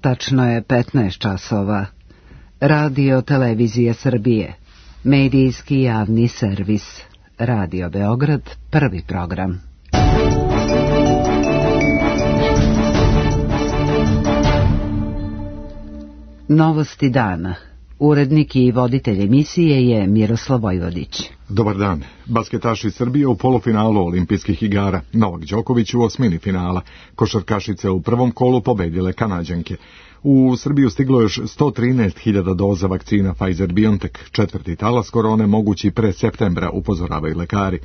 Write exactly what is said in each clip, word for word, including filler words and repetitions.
Tačno je petnaest časova. Radio Televizija Srbije. Medijski javni servis. Radio Beograd, prvi program. Novosti dana. Urednik i voditelj emisije je Miroslav Vojvodić. Dobar dan. Basketaši Srbije u polufinalu olimpijskih igara. Novak Đoković u osmini finala. Košarkašice u prvom kolu pobedile Kanađanke. U Srbiju stiglo još sto trinaest hiljada doza vakcina Pfizer-BioNTech. Četvrti talas korone mogući pre septembra, upozoravaju lekari.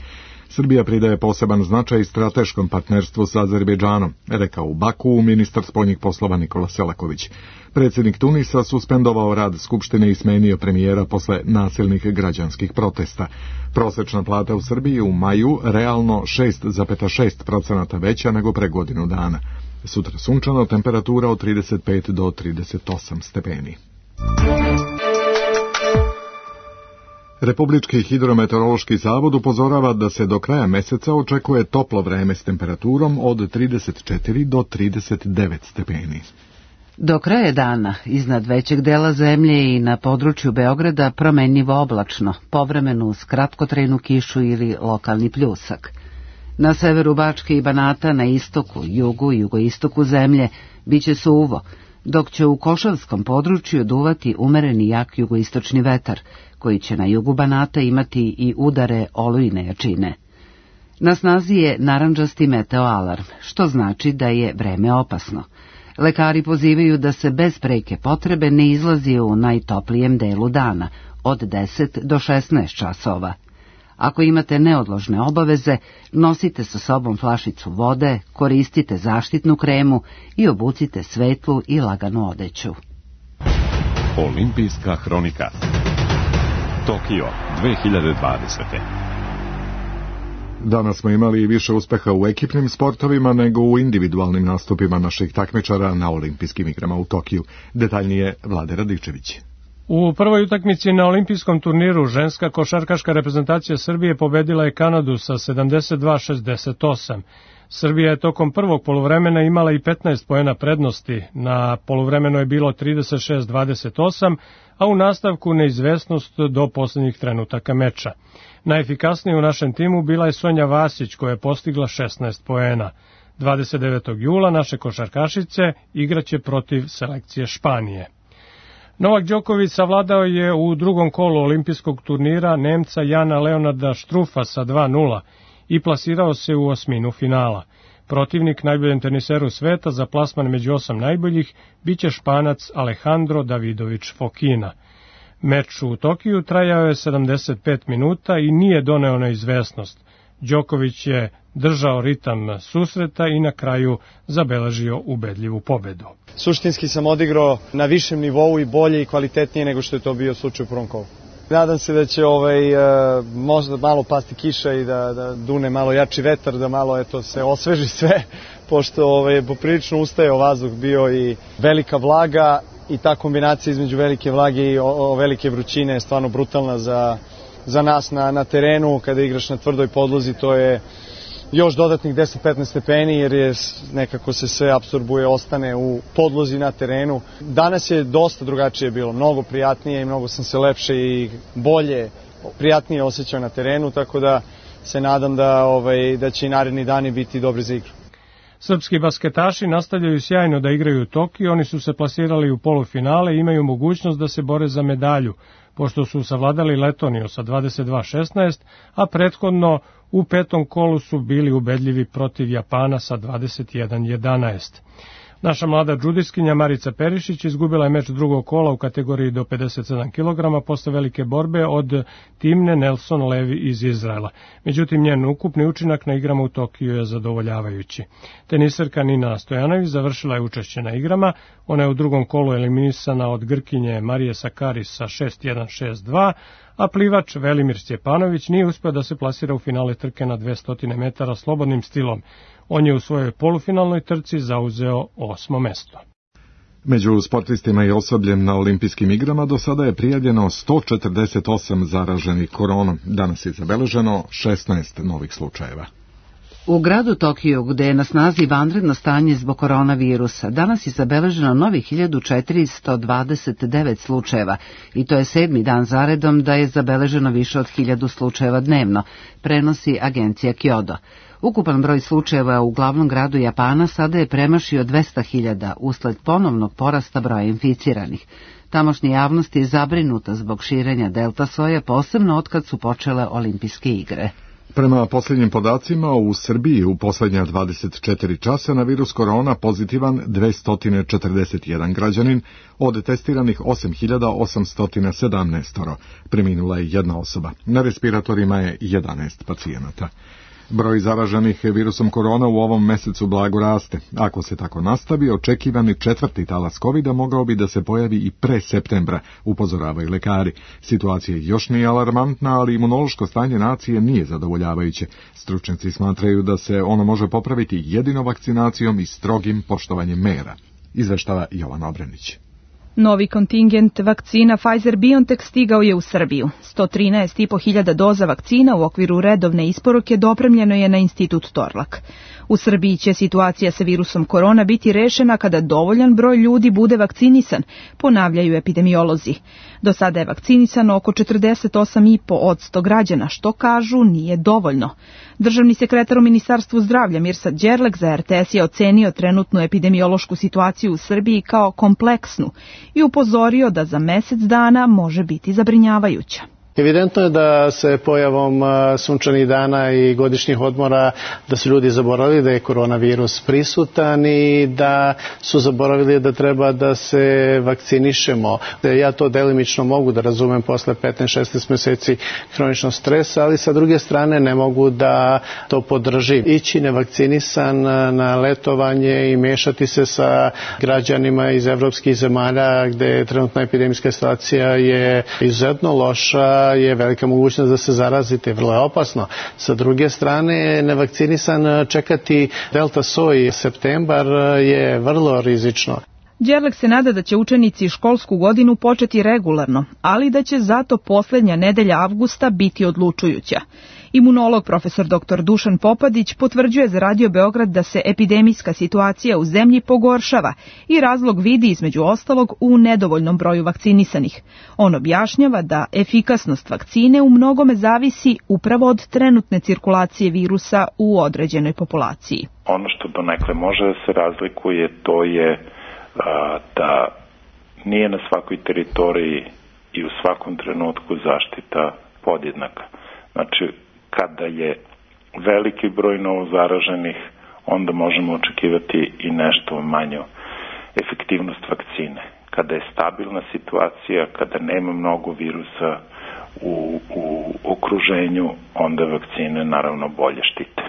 Srbija pridaje poseban značaj strateškom partnerstvu sa Azerbejdžanom, rekao u Baku ministar spoljnih poslova Nikola Selaković. Predsjednik Tunisa suspendovao rad Skupštine i smenio premijera posle nasilnih građanskih protesta. Prosečna plata u Srbiji u maju realno šest zarez šest procenata veća nego pre godinu dana. Sutra sunčano, temperatura od trideset pet do trideset osam stepeni. Republički hidrometeorološki zavod upozorava da se do kraja meseca očekuje toplo vreme s temperaturom od trideset četiri do trideset devet stepeni. Do kraja dana iznad većeg dela zemlje i na području Beograda promenljivo oblačno, povremeno uz kratkotrajnu kišu ili lokalni pljusak. Na severu Bačke i Banata, na istoku, jugu i jugoistoku zemlje biće suvo, dok će u Košavskom području duvati umereni jak jugoistočni vetar, koji će na jugu Banata imati i udare olujne jačine. Na snazi je narandžasti meteoalarm, što znači da je vreme opasno. Lekari pozivaju da se bez preke potrebe ne izlazi u najtoplijem delu dana, od deset do šesnaest časova. Ako imate neodložne obaveze, nosite sa sobom flašicu vode, koristite zaštitnu kremu i obucite svetlu i laganu odeću. Olimpijska hronika. Tokio dve hiljade dvadesete. Danas smo imali više uspeha u ekipnim sportovima nego u individualnim nastupima naših takmičara na olimpijskim igrama u Tokiju. Detaljnije Vlade Radičević. U prvoj utakmici na olimpijskom turniru ženska košarkaška reprezentacija Srbije pobedila je Kanadu sa sedamdeset dva šezdeset osam. Srbija je tokom prvog poluvremena imala i petnaest poena prednosti, na poluvremenu je bilo trideset šest dvadeset osam, a u nastavku neizvesnost do poslednjih trenutaka meča. Najefikasnija u našem timu bila je Sonja Vasić, koja je postigla šesnaest poena. dvadeset devetog jula naše košarkašice igraće protiv selekcije Španije. Novak Đoković savladao je u drugom kolu olimpijskog turnira Nemca Jana Leonarda Štrufa sa dva nula i plasirao se u osminu finala. Protivnik najboljem teniseru sveta za plasman među osam najboljih biće Španac Alejandro Davidović Fokina. Meč u Tokiju trajao je sedamdeset pet minuta i nije doneo neizvesnost. Đoković je držao ritam susreta i na kraju zabeležio ubedljivu pobedu. Suštinski sam odigrao na višem nivou i bolje i kvalitetnije nego što je to bio slučaj u prvom kolu. Nadam se da će ovaj, možda malo pasti kiša i da, da dune malo jači vetar, da malo eto, se osveži sve, pošto ovaj, poprilično ustajao vazduh bio i velika vlaga i ta kombinacija između velike vlage i o, o, velike vrućine je stvarno brutalna za, za nas na, na terenu. Kada igraš na tvrdoj podlozi, to je još dodatnih deset do petnaest stepeni, jer je nekako se sve apsorbuje, ostane u podlozi na terenu. Danas je dosta drugačije bilo, mnogo prijatnije i mnogo sam se lepše i bolje, prijatnije osjećao na terenu, tako da se nadam da, ovaj, da će i naredni dani biti dobri za igru. Srpski basketaši nastavljaju sjajno da igraju u Tokiju, oni su se plasirali u polufinale i imaju mogućnost da se bore za medalju, pošto su savladali Letoniju sa dvadeset dva šesnaest, a prethodno u petom kolu su bili ubedljivi protiv Japana sa dvadeset jedan jedanaest. Naša mlada džudiskinja Marica Perišić izgubila je meč drugog kola u kategoriji do pedeset sedam kilograma posle velike borbe od Timne Nelson Levi iz Izraela. Međutim, njen ukupni učinak na igrama u Tokiju je zadovoljavajući. Teniserka Nina Stojanović završila je učešće na igrama. Ona je u drugom kolu eliminisana od Grkinje Marije Sakaris sa šest jedan šest dva, a plivač Velimir Stjepanović nije uspeo da se plasira u finale trke na dvesta metara slobodnim stilom. On je u svojoj polufinalnoj trci zauzeo osmo mesto. Među sportistima i osobljem na olimpijskim igrama do sada je prijavljeno sto četrdeset osam zaraženih koronom. Danas je zabeleženo šesnaest novih slučajeva. U gradu Tokiju, gde je na snazi vanredno stanje zbog koronavirusa, danas je zabeleženo novih hiljadu četiristo dvadeset devet slučajeva i to je sedmi dan zaredom da je zabeleženo više od hiljadu slučajeva dnevno, prenosi agencija Kyodo. Ukupan broj slučajeva u glavnom gradu Japana sada je premašio dvesta hiljada usled ponovnog porasta broja inficiranih. Tamošnja javnost je zabrinuta zbog širenja delta soja, posebno otkad su počele olimpijske igre. Prema posljednjim podacima, u Srbiji u posljednja dvadeset četiri časa na virus korona pozitivan dvesta četrdeset jedan građanin, od testiranih osam hiljada osamsto sedamnaest, preminula je jedna osoba. Na respiratorima je jedanaest pacijenata. Broj zaraženih virusom korona u ovom mesecu blago raste. Ako se tako nastavi, očekivani četvrti talas kovida mogao bi da se pojavi i pre septembra, upozoravaju lekari. Situacija još nije alarmantna, ali imunološko stanje nacije nije zadovoljavajuće. Stručnjaci smatraju da se ono može popraviti jedino vakcinacijom i strogim poštovanjem mera. Izveštava Jovan Obrenić. Novi kontingent vakcina Pfizer-BioNTech stigao je u Srbiju. sto trinaest i po hiljada doza vakcina u okviru redovne isporuke dopremljeno je na Institut Torlak. U Srbiji će situacija sa virusom korona biti rešena kada dovoljan broj ljudi bude vakcinisan, ponavljaju epidemiolozi. Do sada je vakcinisano oko četrdeset osam i po posto građana, što kažu nije dovoljno. Državni sekretar u Ministarstvu zdravlja Mirsad Đerlek za er te es je ocenio trenutnu epidemiološku situaciju u Srbiji kao kompleksnu i upozorio da za mesec dana može biti zabrinjavajuća. Evidentno je da se pojavom sunčanih dana i godišnjih odmora da su ljudi zaboravili da je koronavirus prisutan i da su zaboravili da treba da se vakcinišemo. Ja to delimično mogu da razumem posle petnaest šesnaest meseci hroničnog stresa, ali sa druge strane ne mogu da to podržim. Ići nevakcinisan na letovanje i mešati se sa građanima iz evropskih zemalja gde trenutna epidemijska situacija je izuzetno loša, je velika mogućnost da se zarazite, vrlo je opasno. Sa druge strane, nevakcinisan čekati delta soj septembar je vrlo rizično. Đerlek se nada da će učenici školsku godinu početi regularno, ali da će zato poslednja nedelja avgusta biti odlučujuća. Imunolog profesor doktor Dušan Popadić potvrđuje za Radio Beograd da se epidemijska situacija u zemlji pogoršava i razlog vidi između ostalog u nedovoljnom broju vakcinisanih. On objašnjava da efikasnost vakcine u mnogome zavisi upravo od trenutne cirkulacije virusa u određenoj populaciji. Ono što donekle može da se razlikuje, to je a, da nije na svakoj teritoriji i u svakom trenutku zaštita podjednaka. Znači, kada je veliki broj novozaraženih, onda možemo očekivati i nešto manju efektivnost vakcine. Kada je stabilna situacija, kada nema mnogo virusa u, u okruženju, onda vakcine naravno bolje štite.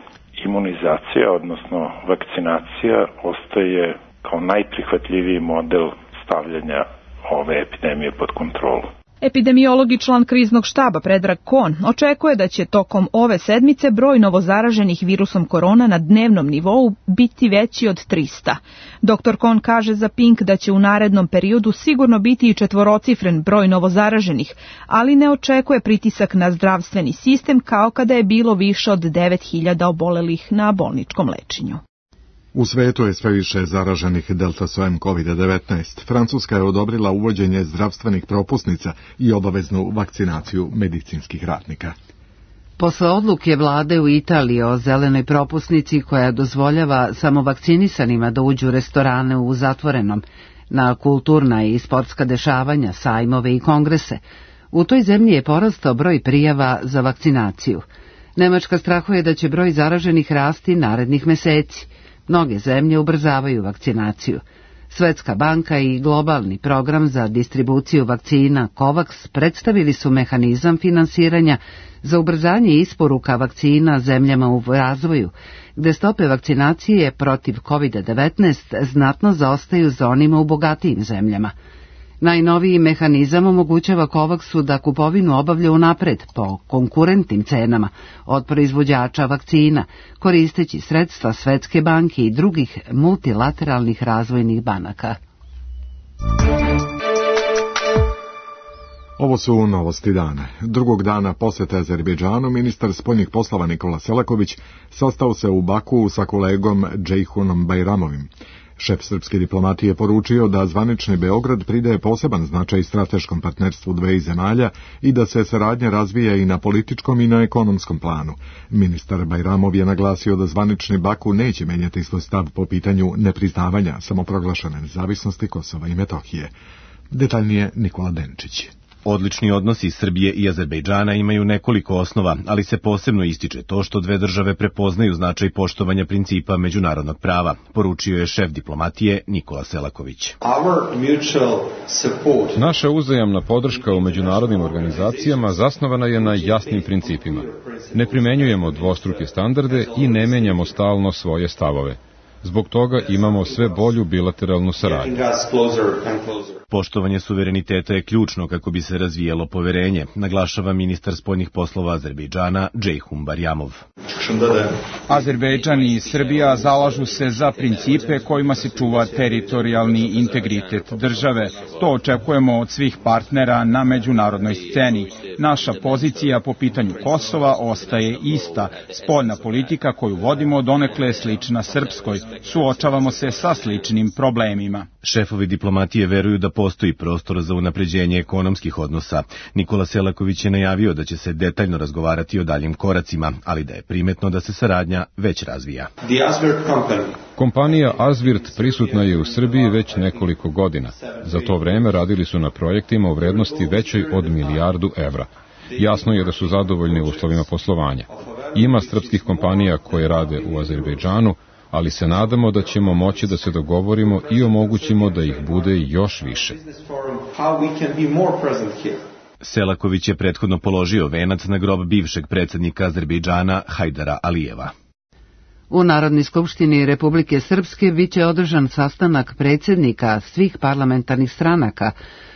Imunizacija, odnosno vakcinacija, ostaje kao najprihvatljiviji model stavljanja ove epidemije pod kontrolu. Epidemiolog i član kriznog štaba Predrag Kon očekuje da će tokom ove sedmice broj novozaraženih virusom korona na dnevnom nivou biti veći od trista. doktor Kon kaže za Pink da će u narednom periodu sigurno biti i četvorocifren broj novozaraženih, ali ne očekuje pritisak na zdravstveni sistem kao kada je bilo više od devet hiljada obolelih na bolničkom lečenju. U svetu je sve više zaraženih delta sojem kovid devetnaest. Francuska je odobrila uvođenje zdravstvenih propusnica i obaveznu vakcinaciju medicinskih radnika. Posle odluke vlade u Italiji o zelenoj propusnici koja dozvoljava samo vakcinisanima da uđu u restorane u zatvorenom, na kulturna i sportska dešavanja, sajmove i kongrese, u toj zemlji je porastao broj prijava za vakcinaciju. Nemačka strahuje da će broj zaraženih rasti narednih meseci. Mnoge zemlje ubrzavaju vakcinaciju. Svetska banka i globalni program za distribuciju vakcina COVAX predstavili su mehanizam finansiranja za ubrzanje isporuka vakcina zemljama u razvoju, gde stope vakcinacije protiv kovid devetnaest znatno zaostaju za onima u bogatijim zemljama. Najnoviji mehanizam omogućava COVAXu da kupovinu obavlja unapred po konkurentnim cenama od proizvođača vakcina, koristeći sredstva Svetske banke i drugih multilateralnih razvojnih banaka. Ovo su novosti dana. Drugog dana posete Azerbejdžanu ministar spoljnih poslova Nikola Selaković sastao se u Baku sa kolegom Džejhunom Bajramovim. Šef srpske diplomatije poručio da zvanični Beograd pridaje poseban značaj strateškom partnerstvu dveju zemalja i da se saradnja razvija i na političkom i na ekonomskom planu. Ministar Bajramov je naglasio da zvanični Baku neće menjati svoj stav po pitanju nepriznavanja samoproglašene nezavisnosti Kosova i Metohije. Detaljnije Nikola Denčić. Odlični odnosi Srbije i Azerbejdžana imaju nekoliko osnova, ali se posebno ističe to što dve države prepoznaju značaj poštovanja principa međunarodnog prava, poručio je šef diplomatije Nikola Selaković. Naša uzajamna podrška u međunarodnim organizacijama zasnovana je na jasnim principima. Ne primenjujemo dvostruke standarde i ne menjamo stalno svoje stavove. Zbog toga imamo sve bolju bilateralnu saradnju. Poštovanje suvereniteta je ključno kako bi se razvijelo poverenje, naglašava ministar spoljnih poslova Azerbejdžana Džejhun Bajramov. Azerbejdžan i Srbija zalažu se za principe kojima se čuva teritorijalni integritet države. To očekujemo od svih partnera na međunarodnoj sceni. Naša pozicija po pitanju Kosova ostaje ista. Spoljna politika koju vodimo donekle je slična srpskoj. Suočavamo se sa sličnim problemima. Šefovi diplomatije veruju da postoji prostor za unapređenje ekonomskih odnosa. Nikola Selaković je najavio da će se detaljno razgovarati o daljim koracima, ali da je primetno da se saradnja već razvija. Kompanija Azvirt prisutna je u Srbiji već nekoliko godina. Za to vreme radili su na projektima u vrednosti većoj od milijardu evra. Jasno je da su zadovoljni uslovima poslovanja. Ima srpskih kompanija koje rade u Azerbejdžanu, ali se nadamo da ćemo moći da se dogovorimo i omogućimo da ih bude još više. Selaković je prethodno položio venac na grob bivšeg predsjednika Azerbejdžana Hajdara Alijeva. U Narodnoj skupštini Republike Srpske biće održan sastanak predsjednika svih parlamentarnih stranaka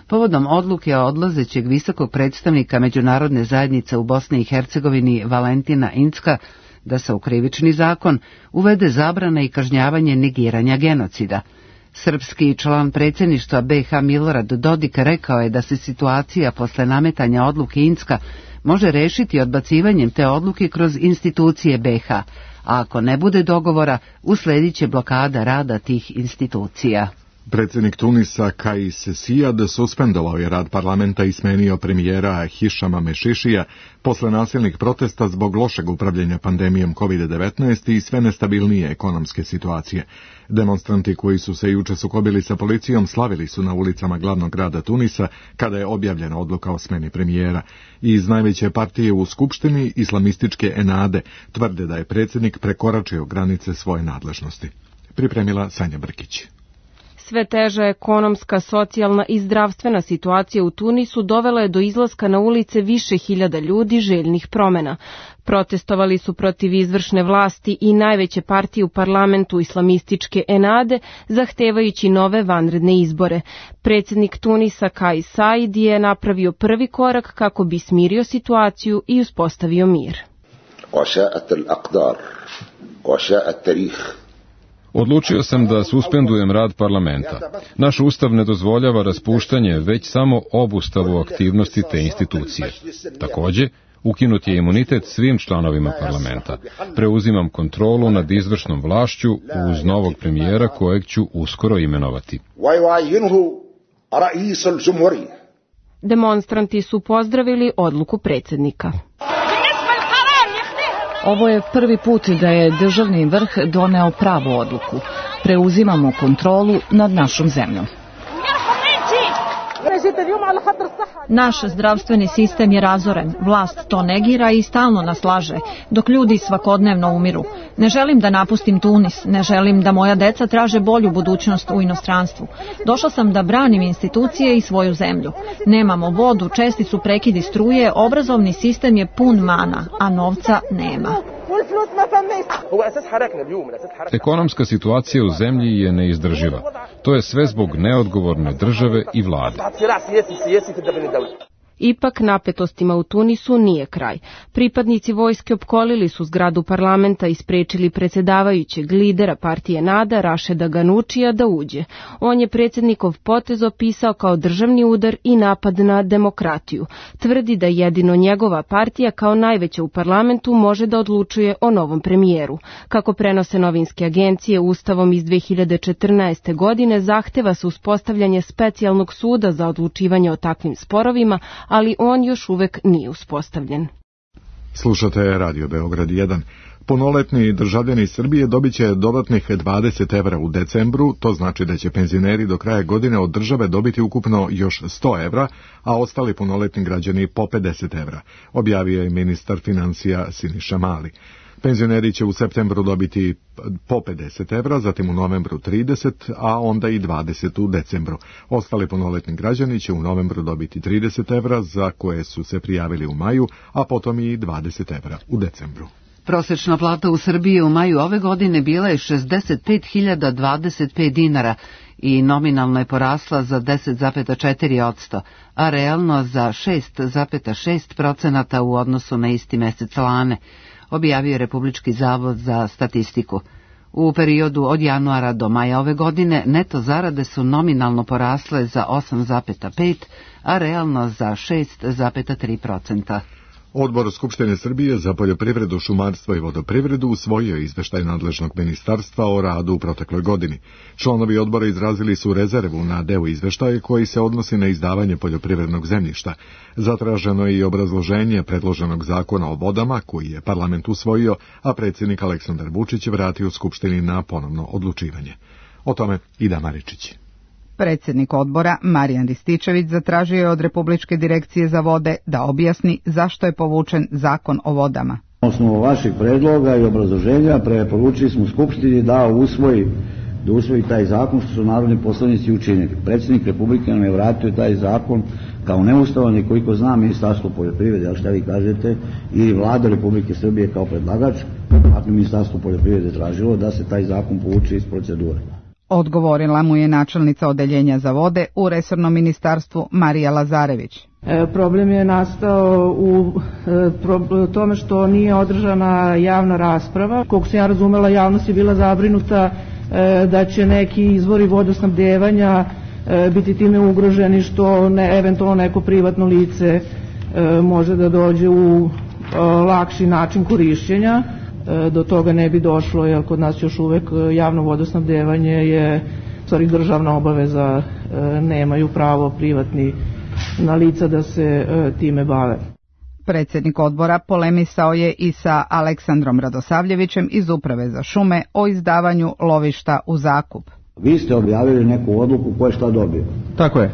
povodom odluke odlazećeg visokog predstavnika međunarodne zajednice u Bosni i Hercegovini Valentina Incka da se u krivični zakon uvede zabrana i kažnjavanje negiranja genocida. Srpski član predsjedništva B iH Milorad Dodik rekao je da se situacija posle nametanja odluke Incka može rešiti odbacivanjem te odluke kroz institucije B iH, a ako ne bude dogovora, usledit će blokada rada tih institucija. Predsjednik Tunisa Kais Saied suspendovao je rad parlamenta i smenio premijera Hišama Mešišija posle nasilnih protesta zbog lošeg upravljanja pandemijom kovid devetnaest i sve nestabilnije ekonomske situacije. Demonstranti koji su se juče sukobili sa policijom slavili su na ulicama glavnog grada Tunisa kada je objavljena odluka o smeni premijera. Iz najveće partije u skupštini, islamističke Enade, tvrde da je predsjednik prekoračio granice svoje nadležnosti. Pripremila Sanja Brkić. Sve teža ekonomska, socijalna i zdravstvena situacija u Tunisu dovela je do izlaska na ulice više hiljada ljudi željnih promjena. Protestovali su protiv izvršne vlasti i najveće partije u parlamentu islamističke Enade, zahtevajući nove vanredne izbore. Predsjednik Tunisa Kais Saied je napravio prvi korak kako bi smirio situaciju i uspostavio mir. Odlučio sam da suspendujem rad parlamenta. Naš ustav ne dozvoljava raspuštanje, već samo obustavu aktivnosti te institucije. Također, ukinut je imunitet svim članovima parlamenta. Preuzimam kontrolu nad izvršnom vlašću uz novog premijera kojeg ću uskoro imenovati. Demonstranti su pozdravili odluku predsjednika. Ovo je prvi put da je državni vrh doneo pravu odluku. Preuzimamo kontrolu nad našom zemljom. Naš zdravstveni sistem je razoren, vlast to negira i stalno nas laže, dok ljudi svakodnevno umiru. Ne želim da napustim Tunis, ne želim da moja deca traže bolju budućnost u inostranstvu. Došla sam da branim institucije i svoju zemlju. Nemamo vodu, česti su prekidi struje, obrazovni sistem je pun mana, a novca nema. Ekonomska situacija u zemlji je neizdrživa. To je sve zbog neodgovorne države i vlade. Ipak napetostima u Tunisu nije kraj. Pripadnici vojske opkolili su zgradu parlamenta i sprečili predsjedavajućeg lidera partije Nada Rašeda Ganučija da uđe. On je predsjednikov potez opisao kao državni udar i napad na demokratiju. Tvrdi da jedino njegova partija kao najveća u parlamentu može da odlučuje o novom premijeru. Kako prenose novinske agencije, Ustavom iz dve hiljade četrnaeste. godine zahteva se uspostavljanje specijalnog suda za odlučivanje o takvim sporovima, ali on još uvek nije uspostavljen. Slušate Radio Beograd jedan. Punoletni državljani Srbije dobit će dodatnih dvadeset evra u decembru, to znači da će penzioneri do kraja godine od države dobiti ukupno još sto evra, a ostali punoletni građani po pedeset evra, objavio je ministar financija Siniša Mali. Penzioneri će u septembru dobiti po pedeset evra, zatim u novembru trideset, a onda i dvadeset u decembru. Ostali punoletni građani će u novembru dobiti trideset evra, za koje su se prijavili u maju, a potom i dvadeset evra u decembru. Prosečna plata u Srbiji u maju ove godine bila je šezdeset pet hiljada dvadeset pet dinara i nominalno je porasla za deset zarez četiri posto, a realno za šest zarez šest posto u odnosu na isti mesec lane, objavio je Republički zavod za statistiku. U periodu od januara do maja ove godine neto zarade su nominalno porasle za osam zarez pet, a realno za šest zarez tri posto. Odbor Skupštine Srbije za poljoprivredu, šumarstvo i vodoprivredu usvojio je izveštaj nadležnog ministarstva o radu u protekloj godini. Članovi odbora izrazili su rezervu na deo izveštaja koji se odnosi na izdavanje poljoprivrednog zemljišta. Zatraženo je i obrazloženje predloženog zakona o vodama koji je parlament usvojio, a predsjednik Aleksandar Vučić vratio Skupštini na ponovno odlučivanje. O tome Ida Maričić. Predsjednik odbora Marijan Rističević zatražio je od Republičke direkcije za vode da objasni zašto je povučen zakon o vodama. Na osnovu vaših predloga i obrazloženja preporučili smo Skupštini da usvoji, da usvoji taj zakon, što su narodni poslanici učinili. Predsjednik Republike nam je vratio taj zakon kao neustavan i koliko zna Ministarstvo poljoprivrede, ali šta vi kažete, i Vlada Republike Srbije kao predlagač, ako Ministarstvo poljoprivrede tražilo da se taj zakon povuče iz procedure. Odgovorila mu je načelnica odeljenja za vode u resornom ministarstvu Marija Lazarević. E, problem je nastao u e, pro, tome što nije održana javna rasprava. Koliko sam ja razumela, javnost je bila zabrinuta e, da će neki izvori vodosnabdevanja e, biti time ugroženi, što ne, eventualno neko privatno lice e, može da dođe u e, lakši način korišćenja. Do toga ne bi došlo, jer kod nas još uvek javno vodosnabdevanje je stvari državna obaveza, nemaju pravo privatni na lica da se time bave. Predsjednik odbora polemisao je i sa Aleksandrom Radosavljevićem iz Uprave za šume o izdavanju lovišta u zakup. Vi ste objavili neku odluku ko je šta dobio. Tako je.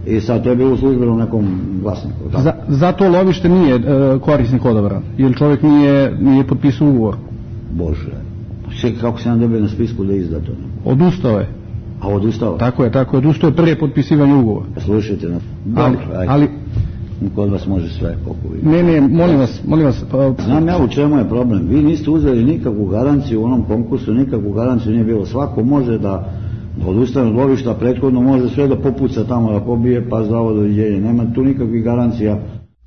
I sad to je bilo u službenom nekom glasniku. Za, zato lovište nije e, korisnik odabran, jer čovjek nije, nije potpisao ugovor. Bože, sve kako se nam dobio na spisku da izda to? Odustao je. A odustao? Tako je, tako je, odustao je prije potpisivanja ugovora. Slušajte nas. Ali, ali kod vas može sve, koliko vi. Ne, ne, molim vas, molim vas. Pa... Znam ja u čemu je problem. Vi niste uzeli nikakvu garanciju u onom konkursu, nikakvu garanciju nije bilo. Svako može da odustane od lovišta, prethodno može sve da popuca tamo, da pobije, pa zdravo doviđenje. Nema tu nikakvih garancija.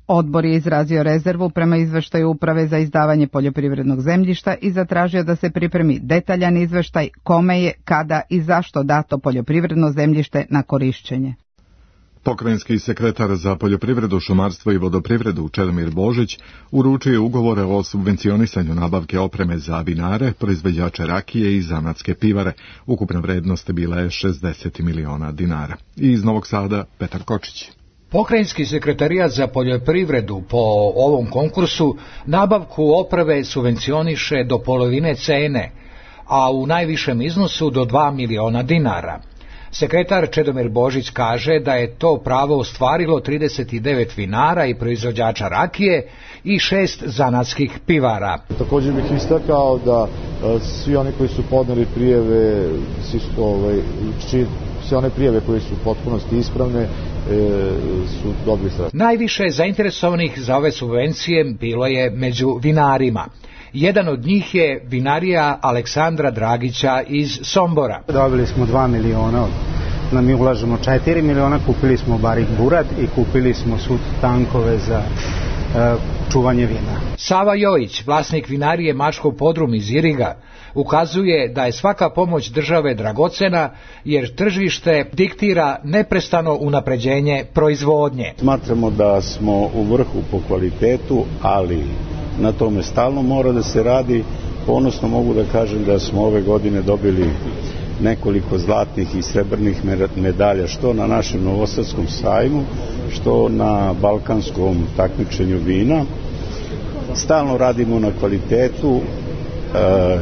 Odbor je izrazio rezervu prema izveštaju Uprave za izdavanje poljoprivrednog zemljišta i zatražio da se pripremi detaljan izveštaj kome je, kada i zašto dato poljoprivredno zemljište na korišćenje. Pokrajinski sekretar za poljoprivredu, šumarstvo i vodoprivredu Čedomir Božić uručio je ugovore o subvencionisanju nabavke opreme za vinare, proizvođače rakije i zanatske pivare. Ukupna vrednost bila je šezdeset miliona dinara. I iz Novog Sada Petar Kočić. Pokrajinski sekretarijat za poljoprivredu po ovom konkursu nabavku opreme subvencioniše do polovine cene, a u najvišem iznosu do dva miliona dinara. Sekretar Čedomir Božić kaže da je to pravo ostvarilo trideset devet vinara i proizvođača rakije i šest zanatskih pivara. Također bih istakao da e, svi oni koji su podneli prijeve, svi su, ovaj, či, sve one prijeve koje su u potpunosti ispravne, e, su dobili sredstva. Najviše zainteresovanih za ove subvencije bilo je među vinarima. Jedan od njih je vinarija Aleksandra Dragića iz Sombora. Dobili smo dva miliona od da mi ulažemo četiri miliona, kupili smo Barik Burad i kupili smo sud tankove za e, čuvanje vina. Sava Jojić, vlasnik vinarije Mačkov podrum iz Iriga, ukazuje da je svaka pomoć države dragocena jer tržište diktira neprestano unapređenje proizvodnje. Smatramo da smo u vrhu po kvalitetu, ali na tome stalno mora da se radi. Ponosno mogu da kažem da smo ove godine dobili nekoliko zlatnih i srebrnih medalja, što na našem Novosadskom sajmu, što na balkanskom takmičenju vina. Stalno radimo na kvalitetu,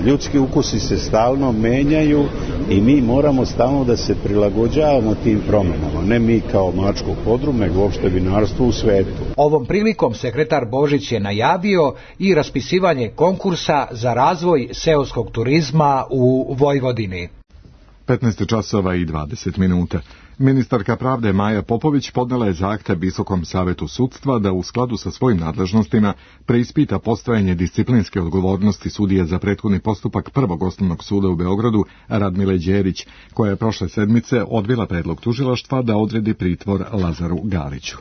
ljudski ukusi se stalno menjaju i mi moramo stalno da se prilagođavamo tim promenama, ne mi kao Mačkov podrum, nego uopšte vinarstvo u svetu. Ovom prilikom sekretar Božić je najavio i raspisivanje konkursa za razvoj seoskog turizma u Vojvodini. petnaest časova i dvadeset minuta. Ministarka pravde Maja Popović podnela je zahtev Visokom savetu sudstva da u skladu sa svojim nadležnostima preispita postojanje disciplinske odgovornosti sudije za prethodni postupak Prvog osnovnog suda u Beogradu Radmile Đerić, koja je prošle sedmice odbila predlog tužilaštva da odredi pritvor Lazaru Galiću.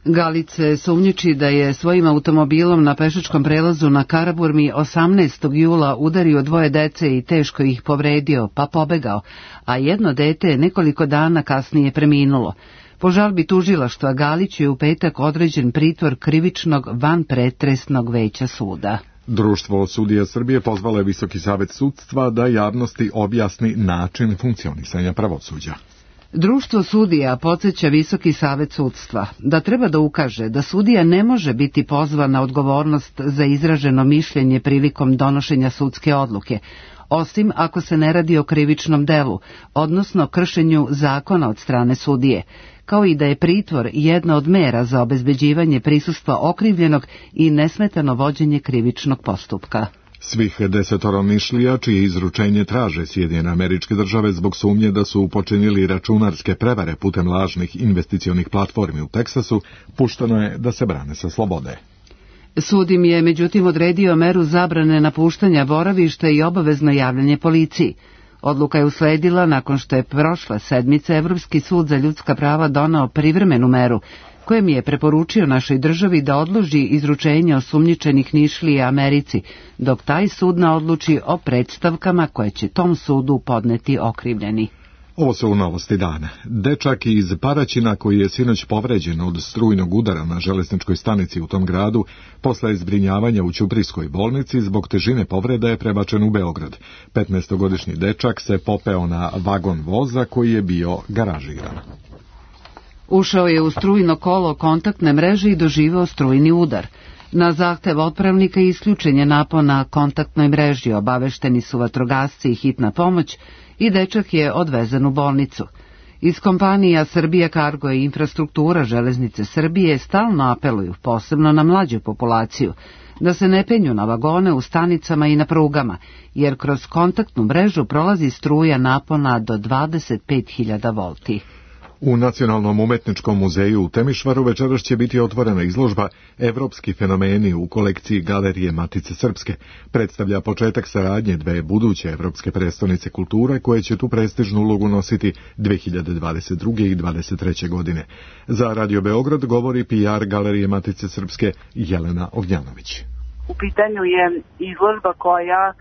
Galić se sumnjiči da je svojim automobilom na pešačkom prelazu na Karaburmi osamnaestog jula udario dvoje dece i teško ih povredio, pa pobegao, a jedno dete je nekoliko dana kasnije preminulo. Po žalbi tužilaštva Galiću je u petak određen pritvor krivičnog vanpretresnog veća suda. Društvo sudija Srbije pozvalo je Visoki savet sudstva da javnosti objasni način funkcionisanja pravosuđa. Društvo sudija podsjeća Visoki savet sudstva da treba da ukaže da sudija ne može biti pozvan na odgovornost za izraženo mišljenje prilikom donošenja sudske odluke, osim ako se ne radi o krivičnom delu, odnosno kršenju zakona od strane sudije, kao i da je pritvor jedna od mera za obezbeđivanje prisustva okrivljenog i nesmetano vođenje krivičnog postupka. Svih desetoro Nišlija, čije izručenje traže Sjedinjene Američke Države zbog sumnje da su počinili računarske prevare putem lažnih investicionih platformi u Teksasu, pušteno je da se brane sa slobode. Sud im je međutim odredio meru zabrane napuštanja boravišta i obavezno javljanje policiji. Odluka je usledila nakon što je prošle sedmice Evropski sud za ljudska prava donao privremenu meru, kojem je preporučio našoj državi da odloži izručenje osumnjičenih Nišlija Americi, dok taj sud ne odluči o predstavkama koje će tom sudu podneti okrivljeni. Ovo su novosti dana. Dečak iz Paraćina koji je sinoć povređen od strujnog udara na železničkoj stanici u tom gradu, posle zbrinjavanja u Ćuprijskoj bolnici zbog težine povreda je prebačen u Beograd. petnaestogodišnji dečak se popeo na vagon voza koji je bio garažiran. Ušao je u strujno kolo kontaktne mreže i doživeo strujni udar. Na zahtev otpravnika isključen je napon na kontaktnoj mreži, obavešteni su vatrogasci i hitna pomoć i dečak je odvezen u bolnicu. Iz kompanija Srbija Kargo i Infrastruktura Železnice Srbije stalno apeluju, posebno na mlađu populaciju, da se ne penju na vagone u stanicama i na prugama, jer kroz kontaktnu mrežu prolazi struja napona do dvadeset pet hiljada volti. U Nacionalnom umetničkom muzeju u Temišvaru večeras će biti otvorena izložba Evropski fenomeni u kolekciji Galerije Matice Srpske. Predstavlja početak saradnje dve buduće evropske prestonice kulture koje će tu prestižnu ulogu nositi dve hiljade dvadeset druge. i dvadeset treće. godine. Za Radio Beograd govori P R Galerije Matice Srpske Jelena Ognjanović. U pitanju je izložba koja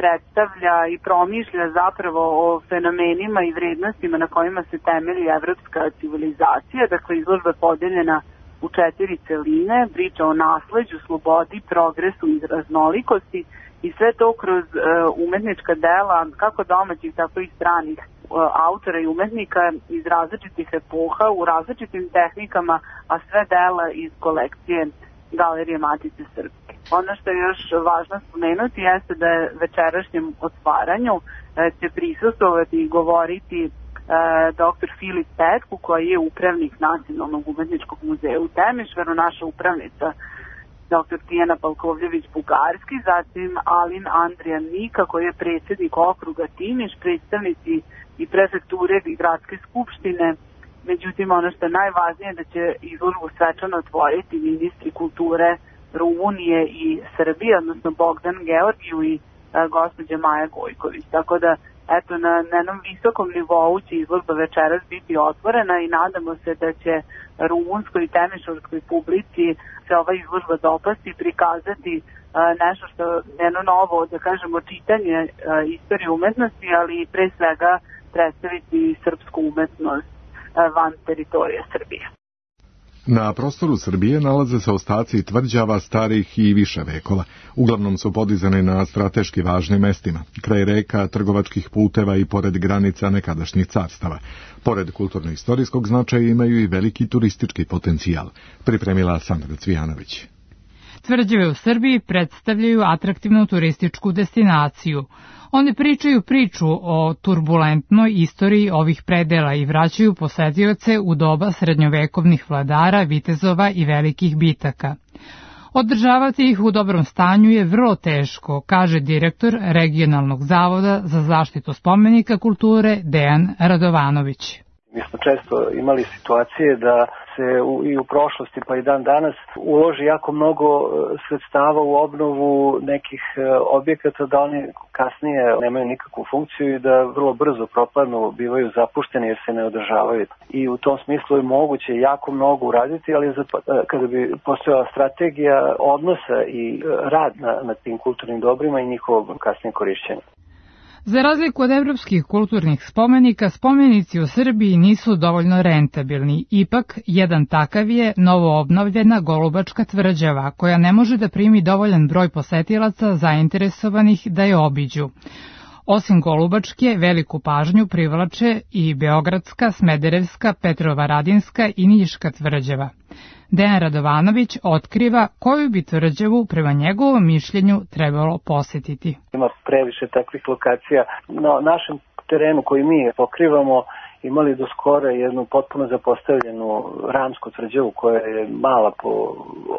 predstavlja i promišlja zapravo o fenomenima i vrednostima na kojima se temelji evropska civilizacija. Dakle, izložba je podeljena u četiri celine, priča o nasleđu, slobodi, progresu i raznolikosti i sve to kroz umetnička dela kako domaćih, tako i stranih autora i umetnika iz različitih epoha, u različitim tehnikama, a sve dela iz kolekcije Galerije Matice Srpske. Ono što je još važno spomenuti jeste da je večerašnjem otvaranju će prisustvovati i govoriti e, doktor Filip Petku, koji je upravnik Nacionalnog umetničkog muzeja u Temišvaru, naša upravnica doktor Tijana Palkovljević-Bugarski, zatim Alin Andrijan Nika, koji je predsjednik okruga Timiš, predstavnici i prefekture i gradske skupštine. Međutim, ono što je najvažnije je da će izložbu svečano otvoriti ministri kulture Rumunije i Srbije, odnosno Bogdan Georgiju i a, gospođa Maja Gojković. Tako da eto na, na jednom visokom nivou će izložba večeras biti otvorena i nadamo se da će rumunskoj i temišvarskoj publici se ova izložba dopasti i prikazati a, nešto što je jedno novo, da kažemo, čitanje a, istorije umetnosti, ali pre svega predstaviti srpsku umetnost a, van teritorija Srbije. Na prostoru Srbije nalaze se ostaci tvrđava starih i više vekova. Uglavnom su podizane na strateški važnim mestima, kraj reka, trgovačkih puteva i pored granica nekadašnjih carstava. Pored kulturno-istorijskog značaja imaju i veliki turistički potencijal, pripremila Sandra Cvijanović. Tvrđave u Srbiji predstavljaju atraktivnu turističku destinaciju. One pričaju priču o turbulentnoj istoriji ovih predela i vraćaju posetioce u doba srednjovekovnih vladara, vitezova i velikih bitaka. Održavati ih u dobrom stanju je vrlo teško, kaže direktor Regionalnog zavoda za zaštitu spomenika kulture Dejan Radovanović. Mi smo često imali situacije da se u, i u prošlosti pa i dan danas uloži jako mnogo sredstava u obnovu nekih objekata, da oni kasnije nemaju nikakvu funkciju i da vrlo brzo propadnu, bivaju zapušteni jer se ne održavaju. I u tom smislu je moguće jako mnogo uraditi, ali kada bi postojala strategija odnosa i rad na, na tim kulturnim dobrima i njihovo kasnije korišćenje. Za razliku od evropskih kulturnih spomenika, spomenici u Srbiji nisu dovoljno rentabilni. Ipak, jedan takav je novo obnovljena Golubačka tvrđava, koja ne može da primi dovoljan broj posetilaca zainteresovanih da je obiđu. Osim Golubačke, veliku pažnju privlače i Beogradska, Smederevska, Petrovaradinska i Niška tvrđava. Dejan Radovanović otkriva koju bi tvrđavu prema njegovom mišljenju trebalo posetiti. Ima previše takvih lokacija. Na našem terenu koji mi pokrivamo imali do skora jednu potpuno zapostavljenu ramsku tvrđavu koja je mala po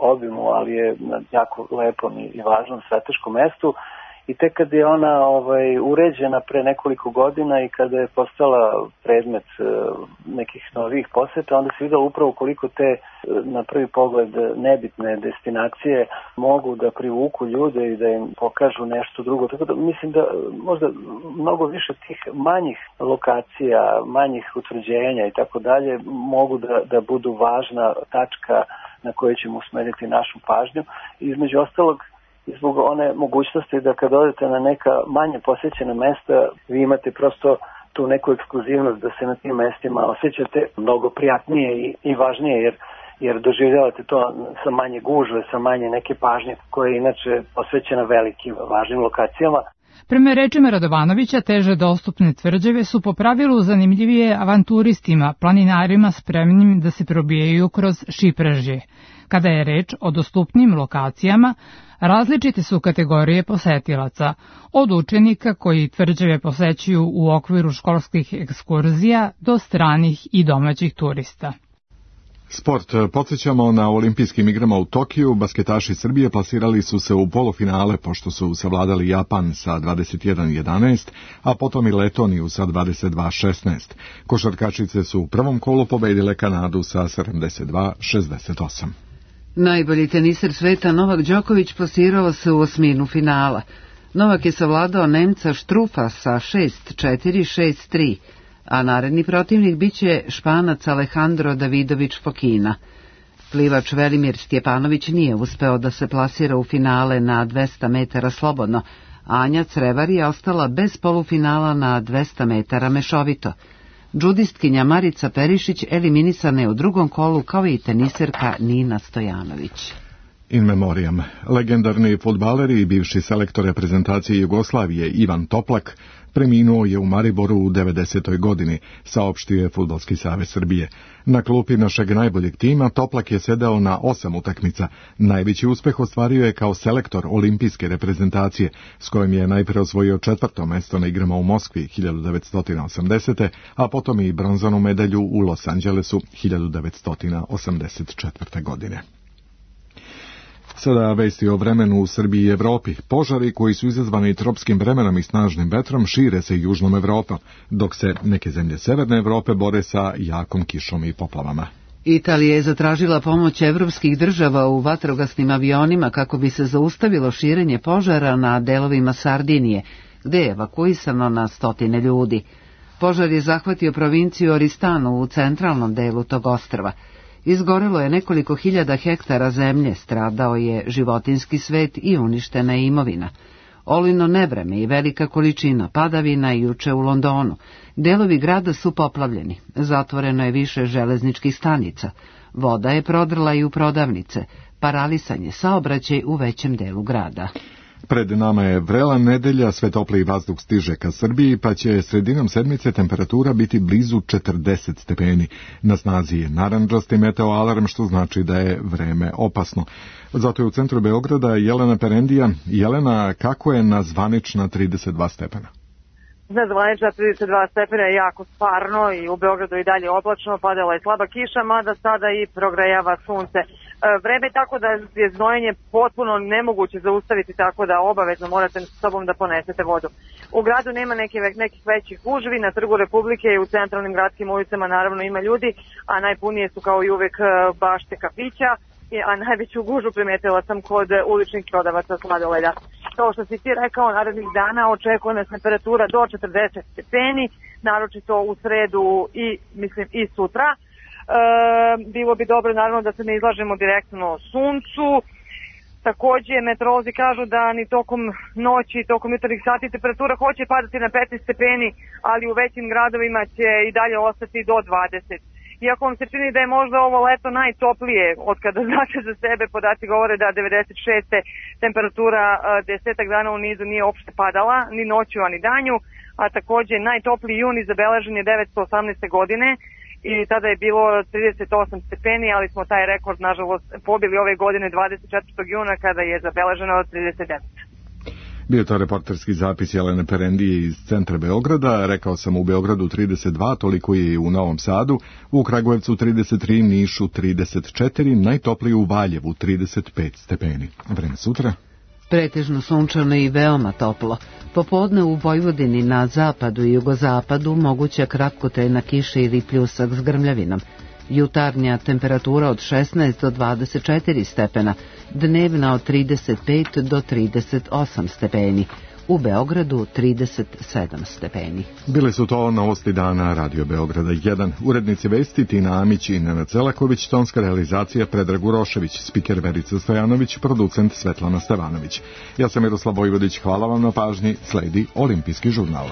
obimu, ali je na jako lepom i važnom strateškom mestu. I tek kad je ona ovaj, uređena pre nekoliko godina i kada je postala predmet uh, nekih novih poseta, onda se videlo upravo koliko te uh, na prvi pogled nebitne destinacije mogu da privuku ljude i da im pokažu nešto drugo. Tako da mislim da možda mnogo više tih manjih lokacija, manjih utvrđenja i tako dalje mogu da, da budu važna tačka na kojoj ćemo usmeriti našu pažnju. Između ostalog, i zbog one mogućnosti da kad odete na neka manje posjećena mesta, vi imate prosto tu neku ekskluzivnost da se na tim mestima osjećate mnogo prijatnije i, i važnije, jer, jer doživljavate to sa manje gužve, sa manje neke pažnje koja je inače posvećena velikim važnim lokacijama. Prema rečima Radovanovića, teže dostupne tvrđave su po pravilu zanimljivije avanturistima, planinarima spremnim da se probijaju kroz šipražje. Kada je reč o dostupnim lokacijama, različite su kategorije posetilaca, od učenika koji tvrđave posećuju u okviru školskih ekskurzija do stranih i domaćih turista. Sport. Podsjećamo, na olimpijskim igrama u Tokiju basketaši Srbije plasirali su se u polufinale pošto su savladali Japan sa dvadeset jedan jedanaest, a potom i Letoniju sa dvadeset dva šesnaest. Košarkašice su u prvom kolu pobedile Kanadu sa sedamdeset dva šezdeset osam. Najbolji teniser sveta Novak Đoković plasirao se u osminu finala. Novak je savladao Nemca Štrufa sa šest četiri šest tri, a naredni protivnik biće Španac Alejandro Davidović Fokina. Plivač Velimir Stjepanović nije uspeo da se plasira u finale na dvesta metara slobodno, a Anja Crevar je ostala bez polufinala na dvesta metara mešovito. Džudistkinja Marica Perišić eliminisana je u drugom kolu kao i teniserka Nina Stojanović. In memoriam. Legendarni fudbaler i bivši selektor reprezentacije Jugoslavije Ivan Toplak preminuo je u Mariboru u devedesetoj godini, saopštio je Fudbalski savez Srbije. Na klupi našeg najboljeg tima Toplak je sedao na osam utakmica. Najveći uspeh ostvario je kao selektor olimpijske reprezentacije, s kojim je najpre osvojio četvrto mesto na igrama u Moskvi hiljadu devetsto osamdesete. a potom i bronzanu medalju u Los Angelesu hiljadu devetsto osamdeset četvrte. godine. Sada vesti o vremenu u Srbiji i Evropi. Požari koji su izazvani tropskim vremenom i snažnim vetrom šire se južnom Evropom, dok se neke zemlje severne Evrope bore sa jakom kišom i poplavama. Italija je zatražila pomoć evropskih država u vatrogasnim avionima kako bi se zaustavilo širenje požara na delovima Sardinije, gde je evakuisano na stotine ljudi. Požar je zahvatio provinciju Oristanu u centralnom delu tog ostrva. Izgorelo je nekoliko hiljada hektara zemlje, stradao je životinjski svet i uništena je imovina. Olujno nevreme i velika količina padavina juče u Londonu. Delovi grada su poplavljeni, zatvoreno je više železničkih stanica. Voda je prodrla i u prodavnice, paralisan je saobraćaj u većem delu grada. Pred nama je vrela nedelja, sve topliji vazduh stiže ka Srbiji, pa će sredinom sedmice temperatura biti blizu četrdeset stepeni. Na snazi je narandžasti meteoalarm, što znači da je vreme opasno. Zato je u centru Beograda Jelena Perendija. Jelena, kako je na zvanična trideset dva stepena? Na zvanična trideset dva stepena je jako stvarno i u Beogradu i dalje oblačno, padala je slaba kiša, mada sada i progrejava sunce. E, vreme je tako da je znojenje potpuno nemoguće zaustaviti, tako da obavezno morate s sobom da ponesete vodu. U gradu nema neke, nekih većih gužvi, na Trgu Republike i u centralnim gradskim ulicama naravno ima ljudi, a najpunije su kao i uvek bašte kafića, a najveću gužu primetila sam kod uličnih prodavaca sladoleda. Kao što si ti rekao, narednih dana očekuje nas temperatura do četrdeset stepeni, naročito u sredu i mislim i sutra. E, bilo bi dobro naravno da se ne izlažemo direktno suncu. Takođe, meteorolozi kažu da ni tokom noći i tokom jutarnjih sati temperatura hoće padati na petnaest stepeni, ali u većim gradovima će i dalje ostati do dvadeset. Iako vam se čini da je možda ovo leto najtoplije, od kada znate za sebe, podaci govore da devedeset šeste temperatura desetak dana u nizu nije uopšte padala, ni noću, a ni danju, a takođe najtopliji juni zabeležen je devetsto osamnaeste. godine i tada je bilo trideset osam stepeni, ali smo taj rekord, nažalost, pobili ove godine dvadeset četvrtog juna kada je zabeleženo trideset devet. Bio je to reporterski zapis Jelene Perendije iz centra Beograda. Rekao sam u Beogradu trideset dva, toliko je i u Novom Sadu, u Kragujevcu trideset tri, Nišu trideset četiri, najtoplije u Valjevu trideset pet stepeni. Vreme sutra? Pretežno sunčano i veoma toplo. Popodne u Vojvodini na zapadu i jugozapadu moguća kratkotrajna kiša ili pljusak s grmljavinom. Jutarnja temperatura od šesnaest do dvadeset četiri stepena, dnevna od trideset pet do trideset osam stepeni, u Beogradu trideset sedam stepeni. Bile su to novosti dana Radio Beograda jedan. Urednici vesti Tina Amić i Nenad Celaković, tonska realizacija Predrag Urošević, spiker Verica Stojanović, producent Svetlana Stevanović. Ja sam Miroslav Vojvodić, hvala vam na pažnji, sledi Olimpijski žurnal.